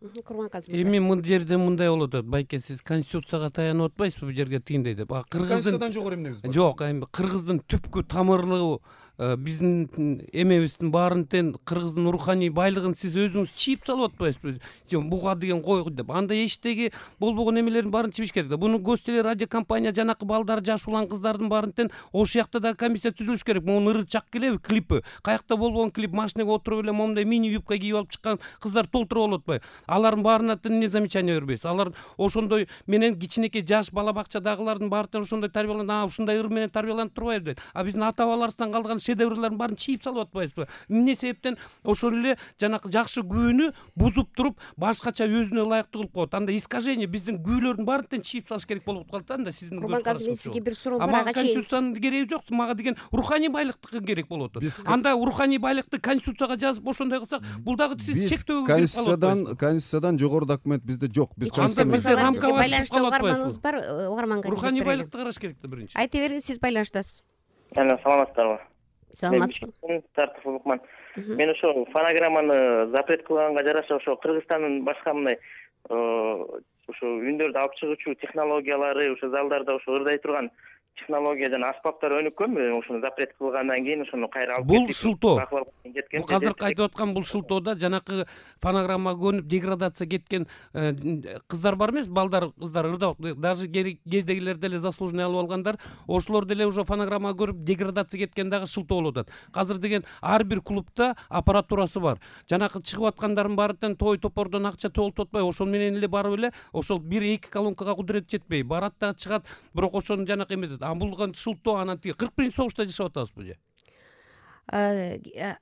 Курманказы эми мына жерде мындай болуп атат. Байке, сиз конституцияга таянып атпайсызбы бул жерге тигиндей деп? Конституциядан жогору эмнеңиз бар? Жок, эми кыргыздын түпкү тамырлуу биздин эмебиздин баарын тең кыргыздын руханий байлыгын сиз өзүңүз чийип салып атпайсызбы? Буга деген кой деп. Анда эчтеги болбогон эмелердин баарын чийиш керек да. Буну Гос теле радио компания жанакы балдар, жаш улан кыздардын баарын тең ошол жакта да комиссия түзүлүш керек. Могу ыры чак келеби клипи? Каякта болбогон клип, машинеге отуруп эле момундай мини юбка кийип алып чыккан кыздар толтуруп болуп атпайбы? Алардын баарына тең эмне замечание бербейсиз? Алар ошондой менен кичинекей жаш бала бакчадагылардын баары тең ошондой тарбияланып, ушундай ыр менен тарбияланып турбайбы дейт. А биздин ата бабаларыбыздан калган шедеврлардын баарын чийип салып атпайсызбы? Эмне себептен ошол эле жанакы жакшы күүнү бузуп туруп, башкача өзүнө ылайыктуу кылып коет. Анда искажение биздин күүлөрдүн баарын тең чийип салыш керек болуп калат да. Анда сиздин Курманказы, мен сизге бир суроо бар. Ага конституциянын кереги жок. Мага деген руханий байлыктыкы керек болуп атат. Анда руханий байлыкты конституцияга жазып ошондой кылсак, бул дагы сиз чектөөгө кирип калып атпайсызбы? Конституциядан жогору документ бизде жок. Биз бизде рамкага байланышта угарманыбыз бар, угарманга руханий байлыкты караш керек да биринчи. Айта бериңиз, сиз байланыштасыз. Саламатсыздарбы? Саламатсызбы? Тартып укман. Мен ошо фонограмманы запрет кылганга жараша ошо Кыргызстандын башка мындай ошо үндөрдү алып чыгуучу технологиялары, ошо залдарда ошо ырдай турган технология жана аспаптар өнүккөнбү? Ошону запрет кылгандан кийин ошону кайра алып бул шылтоо. Бул азыркы айтып аткан бул шылтоодо жанакы фонограммага көнүп деградация кеткен кыздар бар эмес, балдар, кыздар ырдап, даже кээдегилер деле заслуженный алып алгандар, ошолор деле уже фонограммага көрүп деградация кеткен дагы шылтоо болуп атат. Азыр деген ар бир клубда аппаратурасы бар. Жанакы чыгып аткандардын баары тең той топордон акча толтуп атпайбы? Ошол менен эле барып эле ошол 1-2 колонкага кудурет жетпей барат да чыгат, бирок ошонун жанакы эметет. А бул шылтоо анан тиги 41-согушта жашап атабызбы же?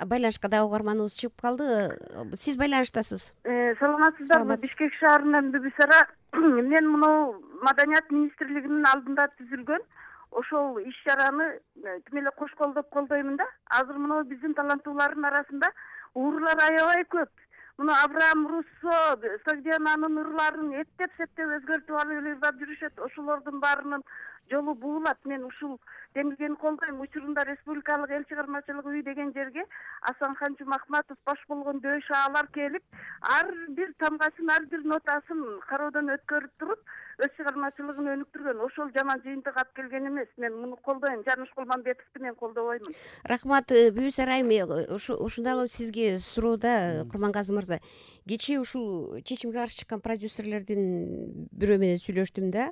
Байланышка дагы угарманыбыз чыгып калды. Сиз байланыштасыз. Саламатсыздарбы? Бишкек шаарынан Бүбүсара. Мен муну Маданият министрлигинин алдында түзүлгөн ошол иш-чараны тим эле кош колдоп колдоймун да. Азыр муну биздин таланттуулардын арасында уурлар аябай көп. Муну Абрам Руссо, Сагдиананын ырларын эптеп-септеп өзгөртүп алып ырдап жүрүшөт. Ошолордун баарынын жолу буулат. Мен ушул демилгени колдойм. Учурунда Республикалык эл чыгармачылык үй деген жерге Асанхан Жумахматов баш болгон дөш аалар келип, ар бир тамгасын, ар бир нотасын кароодон өткөрүп туруп, өз чыгармачылыгын өнүктүргөн. Ошол жаман жыйынтык алып келген эмес. Мен муну колдойм. Жаныш Кулманбетовду мен колдобоймун. Рахмат, Бүбүсара айым. Ушундагы сизге суроо да, Курманказы мырза. Кечээ ушул чечимге каршы чыккан продюсерлердин бирөө менен сүйлөштүм да.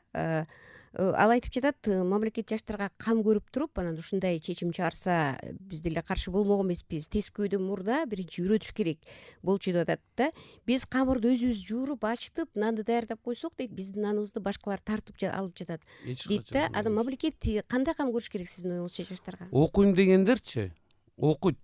Ал айтып жатат, мамлекет жаштарга кам көрүп туруп, анан ушундай чечим чыгарса биз деле каршы болмок эмеспиз. Тескөөдөн мурда биринчи үйрөтүш керек болчу деп атат да. Биз камырды өзүбүз жууруп, ачтып, нанды даярдап койсок дейт, биздин наныбызды башкалар тартып алып жатат дейт да. Анан мамлекет кандай кам көрүш керек сиздин оюңузча жаштарга? Окуйм дегендерчи окуйт.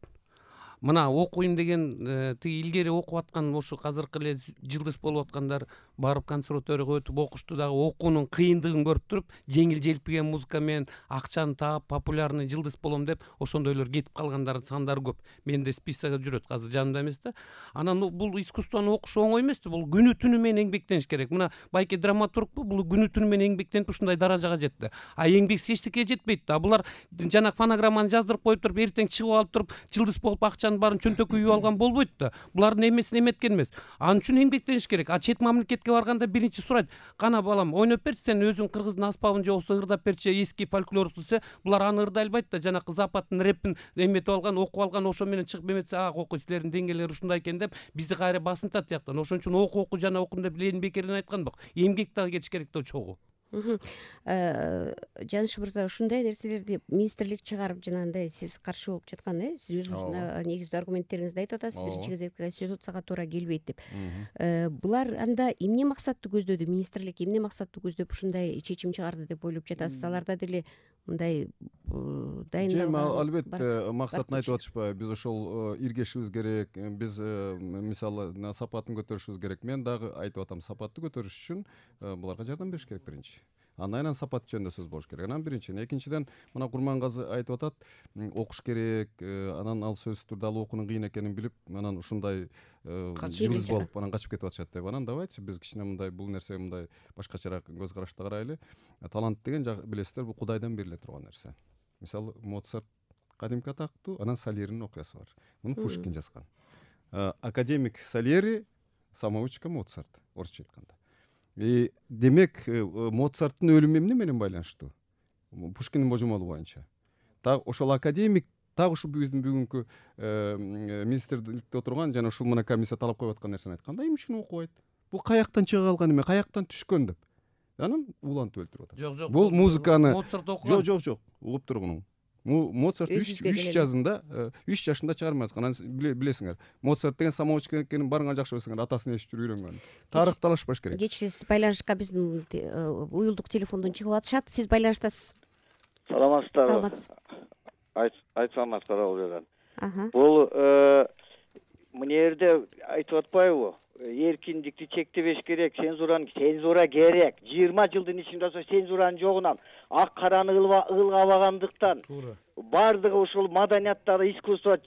Мына окуйм деген тиги илгери окуп аткан ошо азыркы эле жылдыз болуп аткандар барып консерваторияга өтүп окушту дагы окуунун кыйындыгын көрүп туруп, жеңил желпиген музыка менен акчаны таап популярный жылдыз болом деп ошондойлор кетип калгандардын сандары көп. Менде списогу жүрөт, азыр жанымда эмес да. Анан бул искусствону окуш оңой эмес да, бул күнү түнү менен эмгектениш керек. Мына Байке драматургпу, бул күнү түнү менен эмгектенип ушундай даражага жетти. А эмгексиз эчтеке жетпейт да. Булар жанагы фонограмманы жаздырып коюп туруп, эртең чыгып алып туруп, жылдыз болуп акчанын баарын чөнтөккө үйүп алган болбойт да. Булардын эмесин эметкен эмес. Анын үчүн эмгектениш керек. А чет мамлекетке барганда биринчи сурайт: кана балам, ойноп берчи, сен өзүң кыргыздын аспабын же болбосо ырдап берчи, эски фольклорду десе, булар аны ырдай албайт да. Жанакы западтын рэпин эметип алган, окуп алган, ошо менен чыгып эметсе, окуй, силердин деңгээлери ушундай экен деп бизди кайра басынтат тияктан. Ошон үчүн оку жана окун деп Ленин бекерден айткан бак. Эмгек дагы кетиш керек да чогуу. Жаныш мырза, ушундай нерселерди министрлик чыгарып жанагындай сиз каршы болуп жаткан, сиз өзүңүздүн негиздүү аргументтериңизди айтып атасыз, биринчи кезекте конституцияга туура келбейт деп. Булар анда эмне максатты көздөдү? Министрлик эмне максатты көздөп ушундай чечим чыгарды деп ойлоп жатасыз? Аларда деле мындай дайындалган? Албетте максатын айтып атышпайбы. Биз ошол иргешибиз керек. Биз мисалы сапатын көтөрүшүбүз керек. Мен дагы айтып атам, сапатты көтөрүш үчүн буларга жардам бериш керек биринчи. Андан кийин сапат жөнүндө сөз болуш керек. Анан биринчиден, экинчиден мына Курманказы айтып атат, окуш керек, анан ал сөзсүз түрдө ал окуунун кыйын экенин билип, анан ушундай жылдыз болуп анан качып кетип атышат деп. Анан давайте биз кичине мындай бул нерсеге мындай башкачараак көз карашта карайлы. Талант деген билесиздер, бул Кудайдан бериле турган нерсе. Мисалы Моцарт кадимки атактуу, анан Сальеринин окуясы бар. Муну Пушкин жазган. Академик Сальери самоучка Моцарт, орусча айтканда. Демек Моцарттын өлүмү эмне менен байланыштуу? Пушкиндин божомолу боюнча так ошол академик так ушу биздин бүгүнкү министрликте отурган жана ушул мына комиссия талап коюп аткан нерсени айтканда эмне үчүн окубайт? Бул каяктан чыга калган эме, каяктан түшкөн деп анан улантып өлтүрүп атат. Жок, Бул музыканы Моцарт окуган. Жок, угуп тургуну. Моцарт 3 жашында 3 жашында чыгарма жазган. Анан билесиңер, Моцарт деген самоучка экенин барыңар жакшы билесиңер, атасын ээрчип жүрүп үйрөнгөн. Тарых талашпаш керек. Кечээ сиз байланышка биздин уюлдук телефондон чыгып атышат. Сиз байланыштасыз. Саламатсыздарбы? Айтсаңыз каралган. Бул мына жерде айтып атпайбы? Эркиндикти чектебеш керек, цензура керек. 20 жылдын ичинде цензуранын жогунан ак караны ылгабагандыктан бардыгы ушул маданияттагы искусство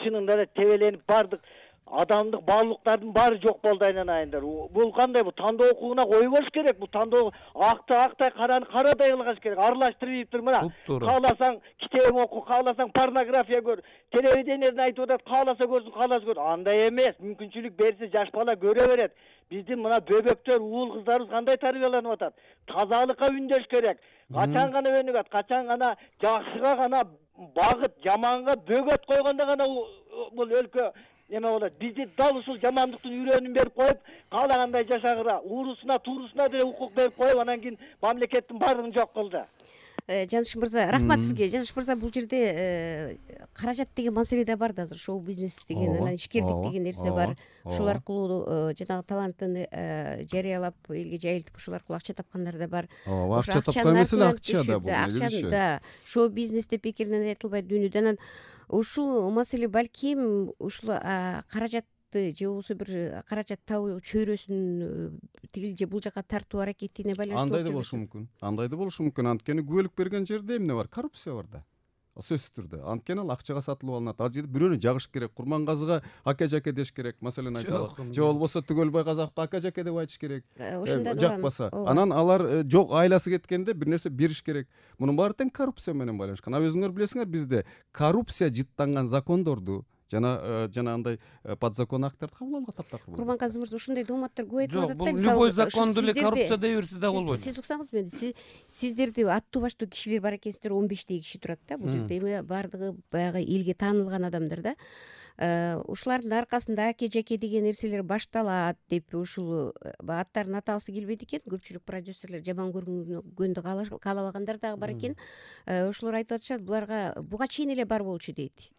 чынында эле тебеленип бардык адамдык баалуулуктардын баары жок болду айнанайындар. Бул кандай? Бул тандоо укугуна койбош керек. Бул тандоо актай, караны карадай кылгаш керек. Аралаштырып мына. Кааласаң китеп оку, кааласаң порнография көр. Телевидениеден айтып атат, кааласа көрсүн, кааласа көрсүн. Андай эмес. Мүмкүнчүлүк берсе жаш бала көрө берет. Биздин мына бөбөктөр, уул кыздарыбыз кандай тарбияланып атат? Тазалыкка үндөш керек. Качан гана өнүгөт, качан гана жакшыга гана багыт, жаманга бөгөт койгондо гана бул өлкө неме болот. Бизди дал ушул жамандыктын үйрөнүн берип коюп, каалагандай жашагыра, уурусуна, туурусуна деле укук берип коюп, анан кийин мамлекеттин баардыгын жок кылды. Жаныш мырза, рахмат сизге. Жаныш мырза, бул жерде каражат деген маселе да бар да азыр. Шоу бизнес деген, анан ишкердик деген нерсе бар. Ушул аркылуу жанагы талантын жарыялап, элге жайылтып, ушул аркылуу акча тапкандар да бар. Акча тапкан эмес, акча да бул. Акчаны да шоу бизнес деп бекеринен айтылбайт дүйнөдө. Анан ушул маселе балким ушул каражатты же болбосо бир каражат табуу чөйрөсүн тигил же бул жака тартуу аракетине байланыштуу. Андай да болушу мүмкүн. Анткени күбөлүк берген жерде эмне бар? Коррупция бар да. Сөзсүз түрдө. Анткени ал акчага сатылып алынат. Ал жерде бирөөнү жагыш керек. Курмангазыга ака-жаке деш керек. Маселен айталы. Же болбосо Түгөлбай Казаковго ака-жаке деп айтыш керек. Жакпаса. Анан алар жок, айласы кеткенде бир нерсе бериш керек. Мунун баары тең коррупция менен байланышкан. Өзүңөр билесиңер, бизде коррупция жыттанган закондорду жана андай подзакон акттарды кабыл алганга таптакыр. Курмангазы мырза, ушундай дооматтар көп айтып атат да. Бул любой законду эле коррупция дей берсе да болбойт. Сиз уксаңыз мени, сиздерди аттуу баштуу кишилер бар экенсиздер, 15 киши турат да. Бул жерде эми бардыгы баягы элге таанылган адамдар да. Ушулардын аркасында аке-жаке деген нерселер башталат деп ушул аттарын атагысы келбейт экен. Көпчүлүк продюсерлер жаман көрүнгөндү каалабагандар дагы бар экен. Ошолор айтып атышат, буларга буга чейин эле бар болчу дейт.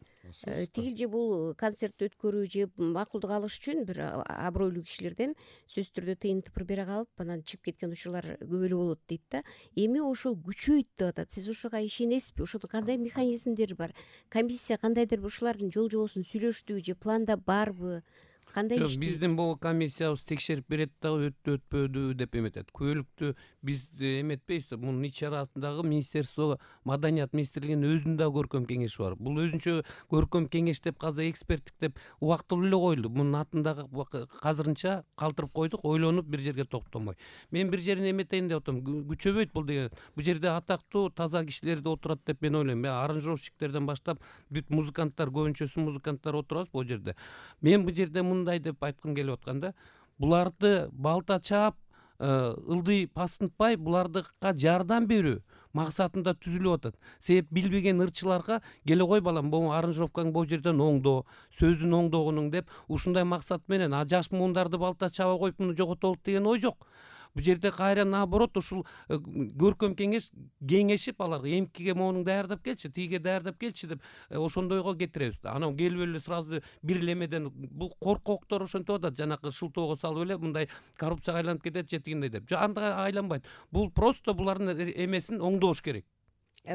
Тигил же бул концерт өткөрүү же макулдук алыш үчүн бир абройлуу кишилерден сөзсүз түрдө тыйын тыпыр бере калып, анан чыгып кеткен учурлар көп эле болот дейт да. Эми ошол күчөйт деп атат. Сиз ушуга ишенесизби? Ошол кандай механизмдер бар? Комиссия кандайдыр ушулардын жол жобосун сүйлөштүбү же планда барбы? Кандай иштейт? Биздин бул комиссиябыз текшерип берет дагы өттү өтпөдү деп эметет. Күбөлүктү биз эметпейбиз. Мунун ичарасындагы министерство, маданият министрлигинин өзүнүн да көркөм кеңеши бар. Бул өзүнчө көркөм кеңеш деп каза эксперттик деп убактылуу эле коюлду. Мунун атын азырынча калтырып койдук, ойлонуп бир жерге токтомой. Мен бир жерин эметейин деп атам. Күчөбөйт бул деген. Бул жерде атактуу, таза кишилер да отурат деп мен ойлойм. Аранжировщиктерден баштап бүт музыканттар, көбүнчөсү музыканттар отурабыз бул жерде. Мен бул жерде мындай деп айткым келип атканда, буларды балта чаап, ылдый пастынтпай, булардыкка жардам берүү максатында түзүлүп атат. Себеп билбеген ырчыларга келе кой балам, бул аранжировкаң бул жерден оңдоо, сөзүн оңдогонуң деп ушундай максат менен жаш муундарды балта чаба коюп муну жоготолук деген ой жок. Бул жерде кайра наоборот ушул көркөм кеңеш кеңешип аларга эмкиге моунуң даярдап келчи, тиге даярдап келчи деп ошондойго кетиребиз. Анан келип эле сразу бир элемеден бул коркоктор ошентип атат, жанакы шылтоого салып эле мындай коррупцияга айланып кетет же тигиндей деп. Андай айланбайт. Бул просто булардын эмесин оңдош керек.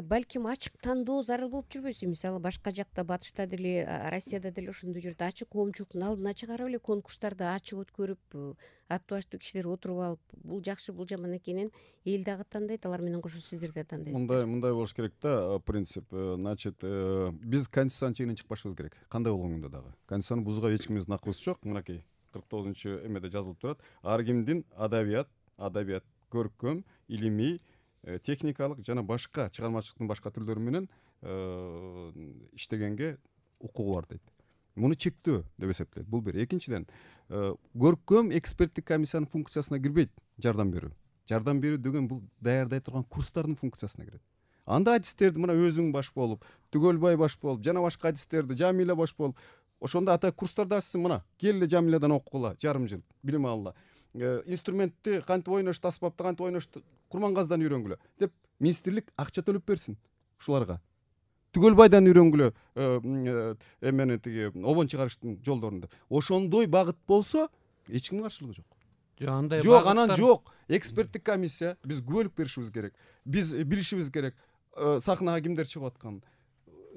Балким ачык тандоо зарыл болуп жүрбөсү. Мисалы башка жакта, батышта деле, Россияда деле ошондой жерде ачык коомчулуктун алдына чыгарып эле конкурстарды ачык өткөрүп, аттуу баштуу кишилер отуруп алып, бул жакшы, бул жаман экенин эл дагы тандайт, алар менен кошо сиздер да тандайсыздар. Мындай болуш керек да, принцип. Значит, биз конституциянын чегинен чыкпашыбыз керек. Кандай болгондо дагы. Конституцияны бузууга эч кимдин акыбыз жок. Мынакей 49 эмеде жазылып турат. Ар кимдин адабият, көркөм, илимий, техникалык жана башка чыгармачылыктын башка түрлөрү менен иштегенге укугу бар дейт. муну чектөө деп эсептейт. Бул бир. Экинчиден, көркөм эксперттик комиссиянын функциясына кирбейт жардам берүү. Жардам берүү деген бул даярдай турган курстардын функциясына кирет. Анда адистерди мына өзүң баш болуп, Түгөлбай баш болуп, жана башка адистерди, Жамиля баш болуп, ошондо ата курстарда ачсың, мына кел эле Жамилядан окугула, жарым жыл билим алгыла. Инструментти кантип ойношту, аспапты кантип ойношту Курмангаздан үйрөнгүлө деп министрлик акча төлөп берсин ушуларга. Түгөлбайдан үйрөнгүлө эмени тиги обон чыгарыштын жолдорун деп. Ошондой багыт болсо эч кимдин каршылыгы жок. Андай Жок, анан жок. Эксперттик комиссия, биз күбөлүк беришибиз керек. Биз билишибиз керек. Сахнага кимдер чыгып атканын.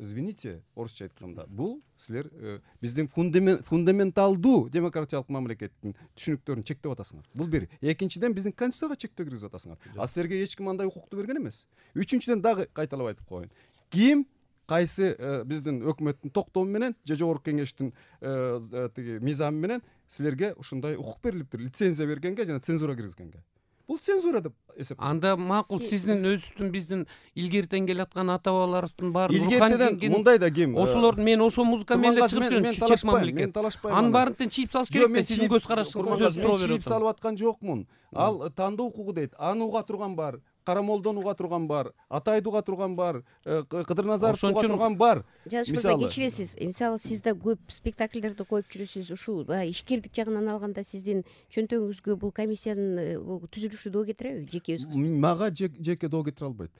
Извините, орусча айтканда, бул силер биздин фундаменталдуу демократиялык мамлекеттин түшүнүктөрүн чектеп атасыңар. Бул бир. Экинчиден, биздин конституцияга чектөө киргизип атасыңар. А силерге эч ким андай укукту берген эмес. Үчүнчүдөн дагы кайталап айтып коеюн. Ким кайсы биздин өкмөттүн токтому менен же жогорку кеңештин тиги мыйзамы менен силерге ушундай укук берилиптир, лицензия бергенге жана цензура киргизгенге. Бул цензура деп эсептейт. Анда макул сиздин өзүбүздүн биздин илгертен келаткан ата бабаларыбыздын баары илгертеден мындай да ким ошолор мен ошо музыка менен эле чыгып жүрөм, чечек мамлекет. Мен талашпайм. Анын баарын тең чийип салыш керек да, сиздин көз карашыңызга сөз суроо берип чийип салып аткан жокмун. Ал тандоо укугу дейт. Аны уга турган бар. Карамолдон уга турган бар, Атайды уга турган бар, Кыдырназаров уга турган бар. Жаныш мырза, кечиресиз. Мисалы, сиз да көп спектакльдерди коюп жүрөсүз. Ушул ишкердик жагынан алганда сиздин чөнтөгүңүзгө бул комиссиянын түзүлүшү доо кетиреби? Жеке өзүңүз? Мага жеке доо кетире албайт.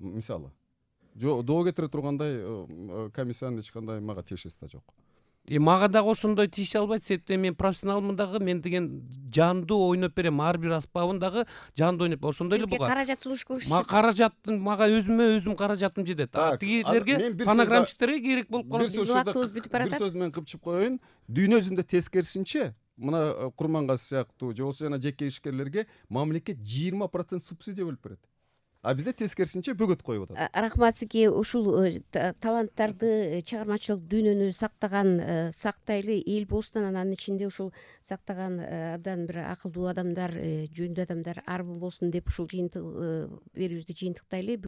Мисалы, доо кетире тургандай комиссиянын эч кандай мага тиешеси да жок. Мага дагы ошондой тийише албайт, себептен мен профессионалмын дагы, мен деген жандуу ойноп берем, ар бир аспабын дагы жандуу ойноп. Ошондой эле буга. Каражат сунуш кылыш. Мага каражаттын, мага өзүм каражатым жетет. Тигилерге фонограммчитерге керек болуп калат. Бир сөз менен кыпчып коеюн. Дүйнө жүзүндө тескерисинче, мына Курмангаз сыяктуу же болбосо жана жеке ишкерлерге мамлекет 20% субсидия бөлүп берет. А бизде тескерисинче бөгөт коюп атат. Рахмат сизге. Ушул таланттарды, чыгармачылык дүйнөнү сактайлы эл болсун, анын ичинде ушул сактаган абдан бир акылдуу адамдар, жөндүү адамдар арбы болсун деп ушул жыйынтык берүүбүздү жыйынтыктайлы.